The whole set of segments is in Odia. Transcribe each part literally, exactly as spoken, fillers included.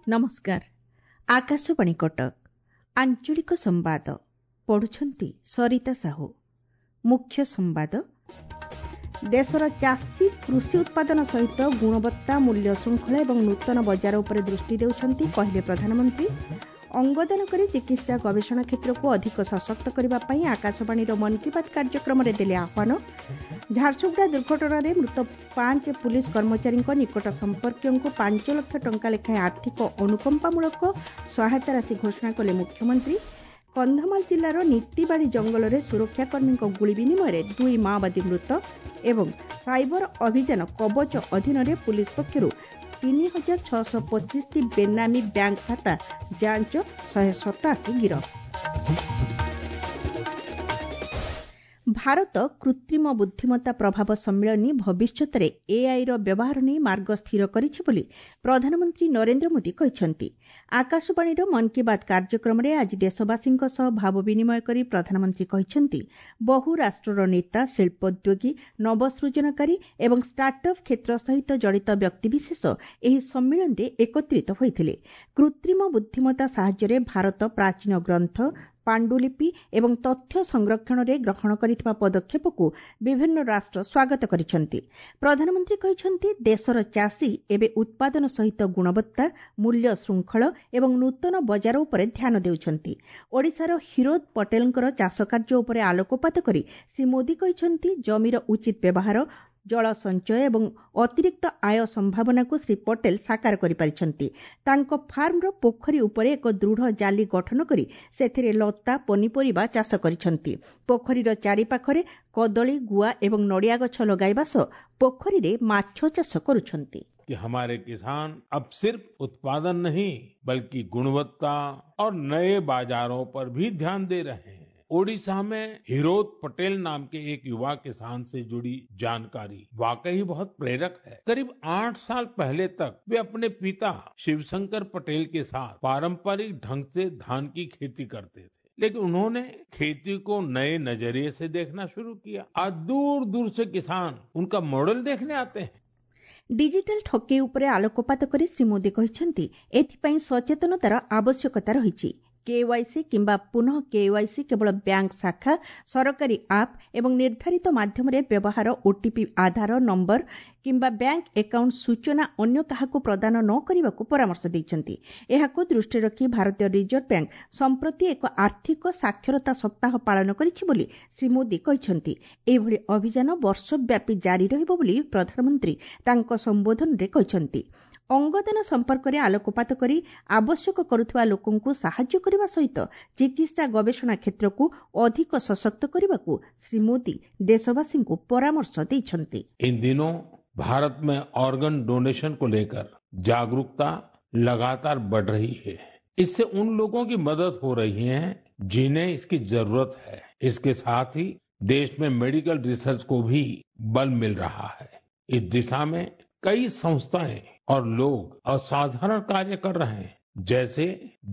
ନମସ୍କାର, ଆକାଶବାଣୀ କଟକ, ଆଞ୍ଚଳିକ ସମ୍ବାଦ ପଢୁଛନ୍ତି ସରିତା ସାହୁ। ମୁଖ୍ୟ ସମ୍ବାଦ। ଦେଶର ଚାଷୀ କୃଷି ଉତ୍ପାଦନ ସହିତ ଗୁଣବତ୍ତା, ମୂଲ୍ୟ ଶୃଙ୍ଖଳା ଏବଂ ନୂତନ ବଜାର ଉପରେ ଦୃଷ୍ଟି ଦେଉଛନ୍ତି, କହିଲେ ପ୍ରଧାନମନ୍ତ୍ରୀ। ଅଙ୍ଗଦାନ କରି ଚିକିତ୍ସା ଗବେଷଣା କ୍ଷେତ୍ରକୁ ଅଧିକ ସଶକ୍ତ କରିବା ପାଇଁ ଆକାଶବାଣୀର ମନ୍ କି ବାତ୍ କାର୍ଯ୍ୟକ୍ରମରେ ଦେଲେ ଆହ୍ୱାନ। ଝାରସୁଗୁଡ଼ା ଦୁର୍ଘଟଣାରେ ମୃତ ପାଞ୍ଚ ପୁଲିସ୍ କର୍ମଚାରୀଙ୍କ ନିକଟ ସମ୍ପର୍କୀୟଙ୍କୁ ପାଞ୍ଚ ଲକ୍ଷ ଟଙ୍କା ଲେଖାଏଁ ଆର୍ଥିକ ଅନୁକମ୍ପାମୂଳକ ସହାୟତା ରାଶି ଘୋଷଣା କଲେ ମୁଖ୍ୟମନ୍ତ୍ରୀ। କନ୍ଧମାଳ ଜିଲ୍ଲାର ନୀତିବାଡ଼ି ଜଙ୍ଗଲରେ ସୁରକ୍ଷାକର୍ମୀଙ୍କ ଗୁଳି ବିନିମୟରେ ଦୁଇ ମାଓବାଦୀ ମୃତ ଏବଂ ସାଇବର ଅଭିଯାନ କବଚ ଅଧୀନରେ ପୁଲିସ୍ ପକ୍ଷରୁ ତିନି ହଜାର ଛଅଶହ ପଚିଶଟି ବେନାମୀ ବ୍ୟାଙ୍କ ଖାତା ଯାଞ୍ଚ, ଶହେ ସତାଅଶୀ ଗିରଫ। ଭାରତ କୃତ୍ରିମ ବୁଦ୍ଧିମତ୍ତା ପ୍ରଭାବ ସମ୍ମିଳନୀ ଭବିଷ୍ୟତରେ ଏଆଇର ବ୍ୟବହାର ନେଇ ମାର୍ଗ ସ୍ଥିର କରିଛି ବୋଲି ପ୍ରଧାନମନ୍ତ୍ରୀ ନରେନ୍ଦ୍ର ମୋଦି କହିଛନ୍ତି। ଆକାଶବାଣୀର ମନ୍ କି ବାତ୍ କାର୍ଯ୍ୟକ୍ରମରେ ଆଜି ଦେଶବାସୀଙ୍କ ସହ ଭାବ ବିନିମୟ କରି ପ୍ରଧାନମନ୍ତ୍ରୀ କହିଛନ୍ତି, ବହୁ ରାଷ୍ଟ୍ରର ନେତା, ଶିଳ୍ପୋଦ୍ୟୋଗୀ, ନବସୃଜନକାରୀ ଏବଂ ଷ୍ଟାର୍ଟଅପ୍ କ୍ଷେତ୍ର ସହିତ ଜଡ଼ିତ ବ୍ୟକ୍ତିବିଶେଷ ଏହି ସମ୍ମିଳନୀରେ ଏକତ୍ରିତ ହୋଇଥିଲେ। କୃତ୍ରିମ ବୁଦ୍ଧିମତ୍ତା ସାହାଯ୍ୟରେ ଭାରତ ପ୍ରାଚୀନ ଗ୍ରନ୍ଥ, ପାଣ୍ଡୁଲିପି ଏବଂ ତଥ୍ୟ ସଂରକ୍ଷଣରେ ଗ୍ରହଣ କରିଥିବା ପଦକ୍ଷେପକୁ ବିଭିନ୍ନ ରାଷ୍ଟ୍ର ସ୍ୱାଗତ କରିଛନ୍ତି। ପ୍ରଧାନମନ୍ତ୍ରୀ କହିଛନ୍ତି, ଦେଶର ଚାଷୀ ଏବେ ଉତ୍ପାଦନ ସହିତ ଗୁଣବତ୍ତା, ମୂଲ୍ୟ ଶୃଙ୍ଖଳ ଏବଂ ନୂତନ ବଜାର ଉପରେ ଧ୍ୟାନ ଦେଉଛନ୍ତି। ଓଡ଼ିଶାର ହିରୋଦ ପଟେଲଙ୍କର ଚାଷକାର୍ଯ୍ୟ ଉପରେ ଆଲୋକପାତ କରି ଶ୍ରୀ ମୋଦି କହିଛନ୍ତି, ଜମିର ଉଚିତ ବ୍ୟବହାର, ଜଳ ସଞ୍ଚୟ ଏବଂ ଅତିରିକ୍ତ ଆୟ ସମ୍ଭାବନାକୁ ଶ୍ରୀ ପଟେଲ ସାକାର କରିପାରିଛନ୍ତି। ତାଙ୍କ ଫାର୍ମର ପୋଖରୀ ଉପରେ ଏକ ଦୃଢ଼ ଜାଲି ଗଠନ କରି ସେଥିରେ ଲତା, ପନିପରିବା ଚାଷ କରିଛନ୍ତି। ପୋଖରୀର ଚାରିପାଖରେ କଦଳୀ, ଗୁଆ ଏବଂ ନଡ଼ିଆ ଗଛ ଲଗାଇବା ସହ ପୋଖରୀରେ ମାଛ ଚାଷ କରୁଛନ୍ତି। कि हमारे किसान अब सिर्फ उत्पादन नहीं बल्कि गुणवत्ता और नए बाजारों पर भी ध्यान दे रहे हैं। ओडिशा में हिरोद पटेल नाम के एक युवा किसान से जुड़ी जानकारी वाकई बहुत प्रेरक है। करीब आठ साल पहले तक वे अपने पिता शिवशंकर पटेल के साथ पारंपरिक ढंग से धान की खेती करते थे, लेकिन उन्होंने खेती को नए नजरिए से देखना शुरू किया। आज दूर दूर से किसान उनका मॉडल देखने आते हैं। ଡିଜିଟାଲ ଠକେଇ ଉପରେ ଆଲୋକପାତ କରି ଶ୍ରୀ ମୋଦି କହିଛନ୍ତି, ଏଥିପାଇଁ ସଚେତନତାର ଆବଶ୍ୟକତା ରହିଛି। କେୱାଇସି କିମ୍ବା ପୁନଃ କେୱାଇସି କେବଳ ବ୍ୟାଙ୍କ ଶାଖା, ସରକାରୀ ଆପ୍ ଏବଂ ନିର୍ଦ୍ଧାରିତ ମାଧ୍ୟମରେ ବ୍ୟବହାର ଓଟିପି, ଆଧାର ନମ୍ବର କିମ୍ବା ବ୍ୟାଙ୍କ ଆକାଉଣ୍ଟ ସୂଚନା ଅନ୍ୟ କାହାକୁ ପ୍ରଦାନ ନ କରିବାକୁ ପରାମର୍ଶ ଦେଇଛନ୍ତି। ଏହାକୁ ଦୃଷ୍ଟିରେ ରଖି ଭାରତୀୟ ରିଜର୍ଭ ବ୍ୟାଙ୍କ ସମ୍ପ୍ରତି ଏକ ଆର୍ଥିକ ସାକ୍ଷରତା ସପ୍ତାହ ପାଳନ କରିଛି ବୋଲି ଶ୍ରୀ ମୋଦି କହିଛନ୍ତି। ଏଭଳି ଅଭିଯାନ ବର୍ଷବ୍ୟାପୀ ଜାରି ରହିବ ବୋଲି ପ୍ରଧାନମନ୍ତ୍ରୀ ତାଙ୍କ ସମ୍ବୋଧନରେ କହିଛନ୍ତି। ଅଙ୍ଗଦାନ ସମ୍ପର୍କରେ ଆଲୋକପାତ କରି ଆବଶ୍ୟକ କରୁଥିବା ଲୋକଙ୍କୁ ସାହାଯ୍ୟ କରିବା ସହିତ ଚିକିତ୍ସା ଗବେଷଣା କ୍ଷେତ୍ରକୁ ଅଧିକ ସଶକ୍ତ କରିବାକୁ ଶ୍ରୀ ମୋଦି ଦେଶବାସୀଙ୍କୁ ପରାମର୍ଶ ଦେଇଛନ୍ତି। इन दिनों भारत में ऑर्गन डोनेशन को लेकर जागरूकता लगातार बढ़ रही है। इससे उन लोगों की मदद हो रही है जिन्हें इसकी जरूरत है। इसके साथ ही देश में मेडिकल रिसर्च को भी बल मिल रहा है। इस दिशा में कई संस्थाएं और लोग असाधारण कार्य कर रहे हैं। जैसे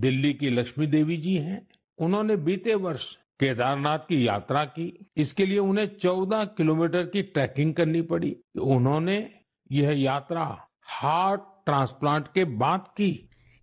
दिल्ली की लक्ष्मी देवी जी हैं, उन्होंने बीते वर्ष केदारनाथ की यात्रा की। इसके लिए उन्हें चौदह किलोमीटर की ट्रैकिंग करनी पड़ी। उन्होंने यह यात्रा हार्ट ट्रांसप्लांट के बाद की।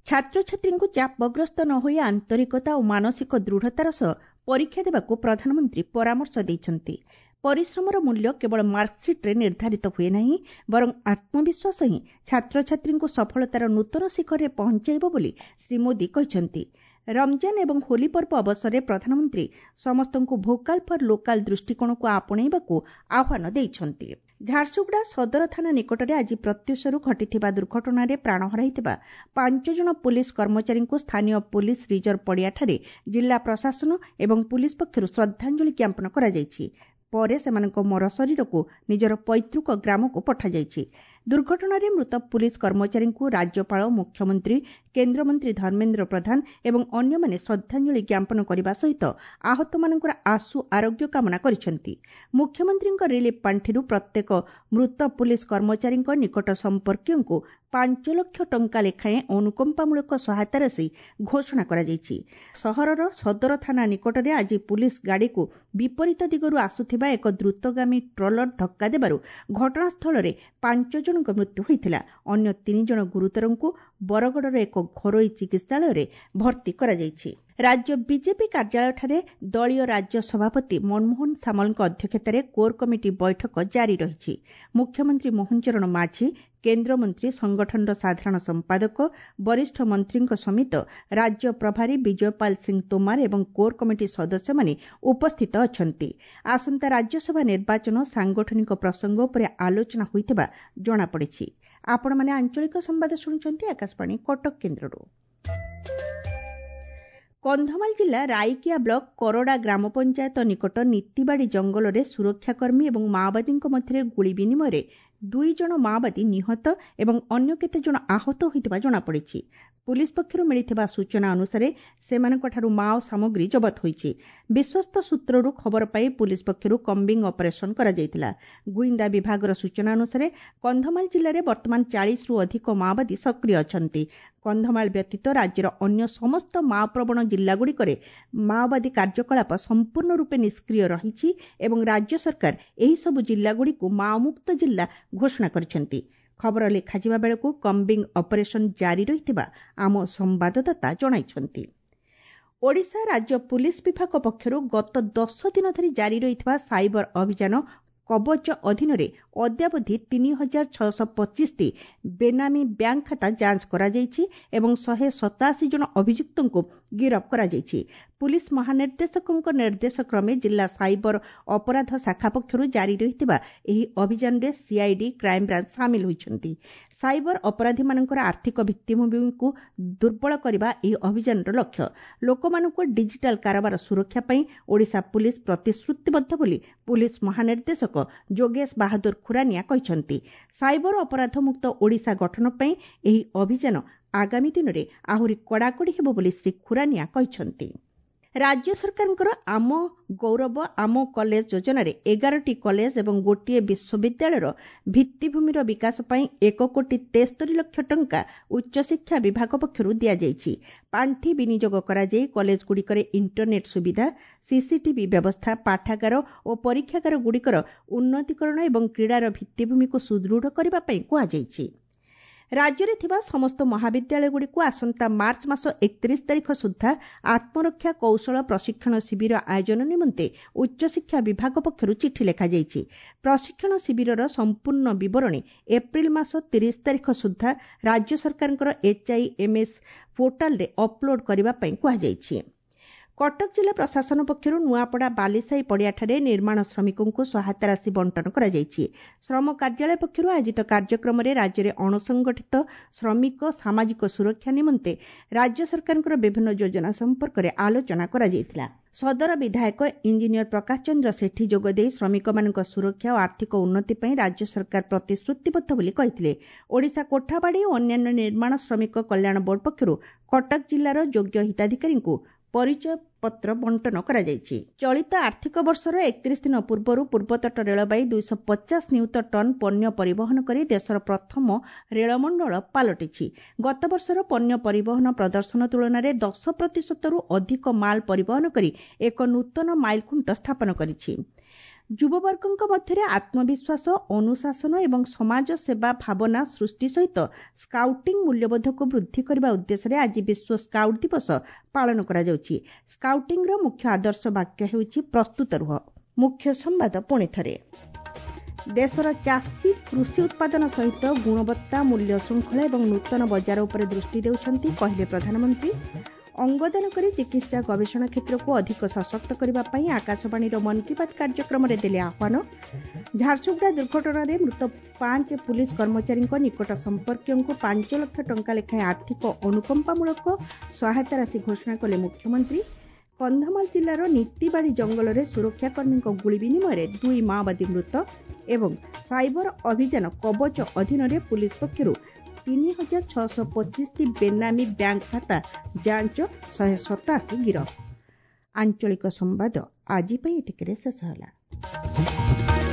ଛାତ୍ରଛାତ୍ରୀଙ୍କୁ ଚାପଗ୍ରସ୍ତ ନ ହୋଇ ଆନ୍ତରିକତା ଓ ମାନସିକ ଦୃଢ଼ତାର ସହ ପରୀକ୍ଷା ଦେବାକୁ ପ୍ରଧାନମନ୍ତ୍ରୀ ପରାମର୍ଶ ଦେଇଛନ୍ତି। ପରିଶ୍ରମର ମୂଲ୍ୟ କେବଳ ମାର୍କସିଟ୍ରେ ନିର୍ଦ୍ଧାରିତ ହୁଏ ନାହିଁ, ବରଂ ଆତ୍ମବିଶ୍ୱାସ ହିଁ ଛାତ୍ରଛାତ୍ରୀଙ୍କୁ ସଫଳତାର ନୂତନ ଶିଖରରେ ପହଞ୍ଚାଇବ ବୋଲି ଶ୍ରୀ ମୋଦି କହିଛନ୍ତି। ରମଜାନ ଏବଂ ହୋଲି ପର୍ବ ଅବସରରେ ପ୍ରଧାନମନ୍ତ୍ରୀ ସମସ୍ତଙ୍କୁ ଭୋକାଲ ଫର ଲୋକାଲ ଦୃଷ୍ଟିକୋଣକୁ ଆପଣେଇବାକୁ ଆହ୍ୱାନ ଦେଇଛନ୍ତି। ଝାରସୁଗୁଡ଼ା ସଦର ଥାନା ନିକଟରେ ଆଜି ପ୍ରତ୍ୟୁଷରୁ ଘଟିଥିବା ଦୁର୍ଘଟଣାରେ ପ୍ରାଣ ହରାଇଥିବା ପାଞ୍ଚ ଜଣ ପୁଲିସ୍ କର୍ମଚାରୀଙ୍କୁ ସ୍ଥାନୀୟ ପୁଲିସ୍ ରିଜର୍ଭ ପଡ଼ିଆଠାରେ ଜିଲ୍ଲା ପ୍ରଶାସନ ଏବଂ ପୁଲିସ୍ ପକ୍ଷରୁ ଶ୍ରଦ୍ଧାଞ୍ଜଳି ଜ୍ଞାପନ କରାଯାଇଛି। ପରେ ସେମାନଙ୍କ ମରଶରୀରକୁ ନିଜର ପୈତୃକ ଗ୍ରାମକୁ ପଠାଯାଇଛି। ଦୁର୍ଘଟଣାରେ ମୃତ ପୁଲିସ୍ କର୍ମଚାରୀଙ୍କୁ ରାଜ୍ୟପାଳ, ମୁଖ୍ୟମନ୍ତ୍ରୀ, କେନ୍ଦ୍ରମନ୍ତ୍ରୀ ଧର୍ମେନ୍ଦ୍ର ପ୍ରଧାନ ଏବଂ ଅନ୍ୟମାନେ ଶ୍ରଦ୍ଧାଞ୍ଜଳି ଜ୍ଞାପନ କରିବା ସହିତ ଆହତମାନଙ୍କର ଆଶୁ ଆରୋଗ୍ୟ କାମନା କରିଛନ୍ତି। ମୁଖ୍ୟମନ୍ତ୍ରୀଙ୍କ ରିଲିଫ୍ ପାଣ୍ଠିରୁ ପ୍ରତ୍ୟେକ ମୃତ ପୁଲିସ୍ କର୍ମଚାରୀଙ୍କ ନିକଟ ସମ୍ପର୍କୀୟଙ୍କୁ ପାଞ୍ଚ ଲକ୍ଷ ଟଙ୍କା ଲେଖାଏଁ ଅନୁକମ୍ପାମୂଳକ ସହାୟତା ରାଶି ଘୋଷଣା କରାଯାଇଛି। ସହରର ସଦର ଥାନା ନିକଟରେ ଆଜି ପୁଲିସ୍ ଗାଡ଼ିକୁ ବିପରୀତ ଦିଗରୁ ଆସୁଥିବା ଏକ ଦ୍ରୁତଗାମୀ ଟ୍ରଲର ଧକ୍କା ଦେବାରୁ ଘଟଣାସ୍ଥଳରେ ପାଞ୍ଚ ଜଣଙ୍କ ମୃତ୍ୟୁ ହୋଇଥିଲା। ଅନ୍ୟ ତିନି ଜଣ ଗୁରୁତରଙ୍କୁ ବରଗଡ଼ର ଏକ ଘରୋଇ ଚିକିତ୍ସାଳୟରେ ଭର୍ତ୍ତି କରାଯାଇଛି। ରାଜ୍ୟ ବିଜେପି କାର୍ଯ୍ୟାଳୟଠାରେ ଦଳୀୟ ରାଜ୍ୟ ସଭାପତି ମନମୋହନ ସାମଲଙ୍କ ଅଧ୍ୟକ୍ଷତାରେ କୋର୍ କମିଟି ବୈଠକ ଜାରି ରହିଛି। ମୁଖ୍ୟମନ୍ତ୍ରୀ ମୋହନ ଚରଣ ମାଝୀ, କେନ୍ଦ୍ରମନ୍ତ୍ରୀ, ସଂଗଠନର ସାଧାରଣ ସମ୍ପାଦକ, ବରିଷ୍ଠ ମନ୍ତ୍ରୀଙ୍କ ସମେତ ରାଜ୍ୟ ପ୍ରଭାରୀ ବିଜୟପାଲ ସିଂ ତୋମାର ଏବଂ କୋର୍ କମିଟି ସଦସ୍ୟମାନେ ଉପସ୍ଥିତ ଅଛନ୍ତି। ଆସନ୍ତା ରାଜ୍ୟସଭା ନିର୍ବାଚନ ସାଂଗଠନିକ ପ୍ରସଙ୍ଗ ଉପରେ ଆଲୋଚନା ହୋଇଥିବା ଜଣାପଡ଼ିଛି। ଆପଣମାନେ ଆଞ୍ଚଳିକ ସମ୍ବାଦ ଶୁଣୁଛନ୍ତି ଆକାଶବାଣୀ କଟକ କେନ୍ଦ୍ରରୁ। କନ୍ଧମାଳ ଜିଲ୍ଲା ରାଇକିଆ ବ୍ଲକ କରଡ଼ା ଗ୍ରାମ ପଞ୍ଚାୟତ ନିକଟ ନୀତିବାଡ଼ି ଜଙ୍ଗଲରେ ସୁରକ୍ଷାକର୍ମୀ ଏବଂ ମାଓବାଦୀଙ୍କ ମଧ୍ୟରେ ଗୁଳି ବିନିମୟରେ ଦୁଇ ଜଣ ମାଓବାଦୀ ନିହତ ଏବଂ ଅନ୍ୟ କେତେଜଣ ଆହତ ହୋଇଥିବା ଜଣାପଡ଼ିଛି। ପୁଲିସ୍ ପକ୍ଷରୁ ମିଳିଥିବା ସୂଚନା ଅନୁସାରେ ସେମାନଙ୍କଠାରୁ ମାଓ ସାମଗ୍ରୀ ଜବତ ହୋଇଛି। ବିଶ୍ୱସ୍ତ ସୂତ୍ରରୁ ଖବର ପାଇ ପୁଲିସ୍ ପକ୍ଷରୁ କମ୍ବିଂ ଅପରେସନ କରାଯାଇଥିଲା। ଗୁଇନ୍ଦା ବିଭାଗର ସୂଚନା ଅନୁସାରେ କନ୍ଧମାଳ ଜିଲ୍ଲାରେ ବର୍ତ୍ତମାନ ଚାଳିଶରୁ ଅଧିକ ମାଓବାଦୀ ସକ୍ରିୟ ଅଛନ୍ତି। କନ୍ଧମାଳ ବ୍ୟତୀତ ରାଜ୍ୟର ଅନ୍ୟ ସମସ୍ତ ମାଓପ୍ରବଣ ଜିଲ୍ଲାଗୁଡ଼ିକରେ ମାଓବାଦୀ କାର୍ଯ୍ୟକଳାପ ସମ୍ପୂର୍ଣ୍ଣ ରୂପେ ନିଷ୍କ୍ରିୟ ରହିଛି ଏବଂ ରାଜ୍ୟ ସରକାର ଏହିସବୁ ଜିଲ୍ଲାଗୁଡ଼ିକୁ ମାଓମୁକ୍ତ ଜିଲ୍ଲା ଘୋଷଣା କରିଛନ୍ତି। ଖବର ଲେଖାଯିବା ବେଳକୁ କମ୍ବିଂ ଅପରେସନ ଜାରି ରହିଥିବା ଆମ ସମ୍ବାଦଦାତା ଜଣାଇଛନ୍ତି। ଓଡ଼ିଶା ରାଜ୍ୟ ପୁଲିସ୍ ବିଭାଗ ପକ୍ଷରୁ ଗତ ଦଶ ଦିନ ଧରି ଜାରି ରହିଥିବା ସାଇବର ଅଭିଯାନ କବଚ ଅଧୀନରେ ଅଦ୍ୟାବଧି ତିନି ହଜାର ଛଅଶହ ପଚିଶଟି ବେନାମୀ ବ୍ୟାଙ୍କ ଖାତା ଯାଞ୍ଚ କରାଯାଇଛି ଏବଂ ଶହେ ସତାଅଶୀ ଜଣ ଅଭିଯୁକ୍ତଙ୍କୁ ଗିରଫ କରାଯାଇଛି। ପୁଲିସ୍ ମହାନିର୍ଦ୍ଦେଶକଙ୍କ ନିର୍ଦ୍ଦେଶକ୍ରମେ ଜିଲ୍ଲା ସାଇବର ଅପରାଧ ଶାଖା ପକ୍ଷରୁ ଜାରି ରହିଥିବା ଏହି ଅଭିଯାନରେ ସିଆଇଡି, କ୍ରାଇମବ୍ରାଞ୍ଚ ସାମିଲ ହୋଇଛନ୍ତି। ସାଇବର ଅପରାଧୀମାନଙ୍କର ଆର୍ଥିକ ଭିତ୍ତିଭୂମିକୁ ଦୁର୍ବଳ କରିବା ଏହି ଅଭିଯାନର ଲକ୍ଷ୍ୟ। ଲୋକମାନଙ୍କୁ ଡିଜିଟାଲ କାରବାର ସୁରକ୍ଷା ପାଇଁ ଓଡ଼ିଶା ପୁଲିସ୍ ପ୍ରତିଶ୍ରୁତିବଦ୍ଧ ବୋଲି ପୁଲିସ୍ ମହାନିର୍ଦ୍ଦେଶକ ଯୋଗେଶ ବାହାଦୁର ଖୁରାନିଆ କହିଛନ୍ତି। ସାଇବର ଅପରାଧମୁକ୍ତ ଓଡ଼ିଶା ଗଠନ ପାଇଁ ଏହି ଅଭିଯାନ ଆଗାମୀ ଦିନରେ ଆହୁରି କଡ଼ାକଡ଼ି ହେବ ବୋଲି ଶ୍ରୀ ଖୁରାନିଆ କହିଛନ୍ତି। ରାଜ୍ୟ ସରକାରଙ୍କର ଆମ ଗୌରବ ଆମ କଲେଜ ଯୋଜନାରେ ଏଗାରଟି କଲେଜ ଏବଂ ଗୋଟିଏ ବିଶ୍ୱବିଦ୍ୟାଳୟର ଭିତ୍ତିଭୂମିର ବିକାଶ ପାଇଁ ଏକ କୋଟି ତେସ୍ତରୀ ଲକ୍ଷ ଟଙ୍କା ଉଚ୍ଚଶିକ୍ଷା ବିଭାଗ ପକ୍ଷରୁ ଦିଆଯାଇଛି। ପାଣ୍ଠି ବିନିଯୋଗ କରାଯାଇ କଲେଜଗୁଡ଼ିକରେ ଇଣ୍ଟରନେଟ୍ ସୁବିଧା, ସିସିଟିଭି ବ୍ୟବସ୍ଥା, ପାଠାଗାର ଓ ପରୀକ୍ଷାଗାରଗୁଡ଼ିକର ଉନ୍ନତିକରଣ ଏବଂ କ୍ରୀଡ଼ାର ଭିତ୍ତିଭୂମିକୁ ସୁଦୃଢ଼ କରିବା ପାଇଁ କୁହାଯାଇଛି। ରାଜ୍ୟରେ ଥିବା ସମସ୍ତ ମହାବିଦ୍ୟାଳୟଗୁଡ଼ିକୁ ଆସନ୍ତା ମାର୍ଚ୍ଚ ମାସ ଏକତିରିଶ ତାରିଖ ସୁଦ୍ଧା ଆତ୍ମରକ୍ଷା କୌଶଳ ପ୍ରଶିକ୍ଷଣ ଶିବିର ଆୟୋଜନ ନିମନ୍ତେ ଉଚ୍ଚଶିକ୍ଷା ବିଭାଗ ପକ୍ଷରୁ ଚିଠି ଲେଖାଯାଇଛି। ପ୍ରଶିକ୍ଷଣ ଶିବିରର ସମ୍ପୂର୍ଣ୍ଣ ବିବରଣୀ ଏପ୍ରିଲ ମାସ ତିରିଶ ତାରିଖ ସୁଦ୍ଧା ରାଜ୍ୟ ସରକାରଙ୍କର ଏଚ୍ଆଇଏମ୍ଏସ୍ ପୋର୍ଟାଲରେ ଅପଲୋଡ୍ କରିବା ପାଇଁ କୁହାଯାଇଛି। କଟକ ଜିଲ୍ଲା ପ୍ରଶାସନ ପକ୍ଷରୁ ନୂଆପଡ଼ା ବାଲିସାହି ପଡ଼ିଆଠାରେ ନିର୍ମାଣ ଶ୍ରମିକଙ୍କୁ ସହାୟତା ରାଶି ବଣ୍ଟନ କରାଯାଇଛି। ଶ୍ରମ କାର୍ଯ୍ୟାଳୟ ପକ୍ଷରୁ ଆୟୋଜିତ କାର୍ଯ୍ୟକ୍ରମରେ ରାଜ୍ୟରେ ଅଣସଂଗଠିତ ଶ୍ରମିକ ସାମାଜିକ ସୁରକ୍ଷା ନିମନ୍ତେ ରାଜ୍ୟ ସରକାରଙ୍କର ବିଭିନ୍ନ ଯୋଜନା ସମ୍ପର୍କରେ ଆଲୋଚନା କରାଯାଇଥିଲା। ସଦର ବିଧାୟକ ଇଞ୍ଜିନିୟର ପ୍ରକାଶ ଚନ୍ଦ୍ର ସେଠୀ ଯୋଗଦେଇ ଶ୍ରମିକମାନଙ୍କ ସୁରକ୍ଷା ଓ ଆର୍ଥିକ ଉନ୍ନତି ପାଇଁ ରାଜ୍ୟ ସରକାର ପ୍ରତିଶ୍ରୁତିବଦ୍ଧ ବୋଲି କହିଥିଲେ। ଓଡ଼ିଶା କୋଠାବାଡ଼ି ଓ ଅନ୍ୟାନ୍ୟ ନିର୍ମାଣ ଶ୍ରମିକ କଲ୍ୟାଣ ବୋର୍ଡ ପକ୍ଷରୁ କଟକ ଜିଲ୍ଲାର ଯୋଗ୍ୟ ହିତାଧିକାରୀଙ୍କୁ ପରିଚୟ ପତ୍ର ବଣ୍ଟନ କରାଯାଇଛି। ଚଳିତ ଆର୍ଥିକ ବର୍ଷର ଏକତିରିଶ ଦିନ ପୂର୍ବରୁ ପୂର୍ବତଟ ରେଳବାଇ ଦୁଇଶହ ପଚାଶ ନିୟୁତ ଟନ୍ ପଣ୍ୟ ପରିବହନ କରି ଦେଶର ପ୍ରଥମ ରେଳମଣ୍ଡଳ ପାଲଟିଛି। ଗତବର୍ଷର ପଣ୍ୟ ପରିବହନ ପ୍ରଦର୍ଶନ ତୁଳନାରେ ଦଶ ପ୍ରତିଶତରୁ ଅଧିକ ମାଲ ପରିବହନ କରି ଏକ ନୂତନ ମାଇଲଖୁଣ୍ଟ ସ୍ଥାପନ କରିଛି। ଯୁବବର୍ଗଙ୍କ ମଧ୍ୟରେ ଆତ୍ମବିଶ୍ୱାସ, ଅନୁଶାସନ ଏବଂ ସମାଜ ସେବା ଭାବନା ସୃଷ୍ଟି ସହିତ ସ୍କାଉଟିଂ ମୂଲ୍ୟବୋଧକୁ ବୃଦ୍ଧି କରିବା ଉଦ୍ଦେଶ୍ୟରେ ଆଜି ବିଶ୍ୱ ସ୍କାଉଟ୍ ଦିବସ ପାଳନ କରାଯାଉଛି। ସ୍କାଉଟିଂର ମୁଖ୍ୟ ଆଦର୍ଶ ବାକ୍ୟ ହେଉଛି ପ୍ରସ୍ତୁତ ରୁହ। ମୁଖ୍ୟ ସମ୍ବାଦ ପୁଣି ଥରେ। ଦେଶର ଚାଷୀ କୃଷି ଉତ୍ପାଦନ ସହିତ ଗୁଣବତ୍ତା, ମୂଲ୍ୟ ଶୃଙ୍ଖଳା ଏବଂ ନୂତନ ବଜାର ଉପରେ ଦୃଷ୍ଟି ଦେଉଛନ୍ତି, କହିଲେ ପ୍ରଧାନମନ୍ତ୍ରୀ। ଅଙ୍ଗଦାନ କରି ଚିକିତ୍ସା ଗବେଷଣା କ୍ଷେତ୍ରକୁ ଅଧିକ ସଶକ୍ତ କରିବା ପାଇଁ ଆକାଶବାଣୀର ମନ୍ କି ବାତ୍ କାର୍ଯ୍ୟକ୍ରମରେ ଦେଲେ ଆହ୍ୱାନ। ଝାରସୁଗୁଡ଼ା ଦୁର୍ଘଟଣାରେ ମୃତ ପାଞ୍ଚ ପୁଲିସ୍ କର୍ମଚାରୀଙ୍କ ନିକଟ ସମ୍ପର୍କୀୟଙ୍କୁ ପାଞ୍ଚ ଲକ୍ଷ ଟଙ୍କା ଲେଖାଏଁ ଆର୍ଥିକ ଅନୁକମ୍ପାମୂଳକ ସହାୟତା ରାଶି ଘୋଷଣା କଲେ ମୁଖ୍ୟମନ୍ତ୍ରୀ। କନ୍ଧମାଳ ଜିଲ୍ଲାର ନୀତିବାଡ଼ି ଜଙ୍ଗଲରେ ସୁରକ୍ଷାକର୍ମୀଙ୍କ ଗୁଳି ବିନିମୟରେ ଦୁଇ ମାଓବାଦୀ ମୃତ ଏବଂ ସାଇବର ଅଭିଯାନ କବଚ ଅଧୀନରେ ପୁଲିସ୍ ପକ୍ଷରୁ ତିନି ହଜାର ଛଅଶହ ପଚିଶଟି ବେନାମୀ ବ୍ୟାଙ୍କ ଖାତା ଯାଞ୍ଚ, ଶହେ ସତାଅଶୀ ଗିରଫ। ଆଞ୍ଚଳିକ ସମ୍ବାଦ ଆଜି ପାଇଁ ଏତିକିରେ ଶେଷ ହେଲା।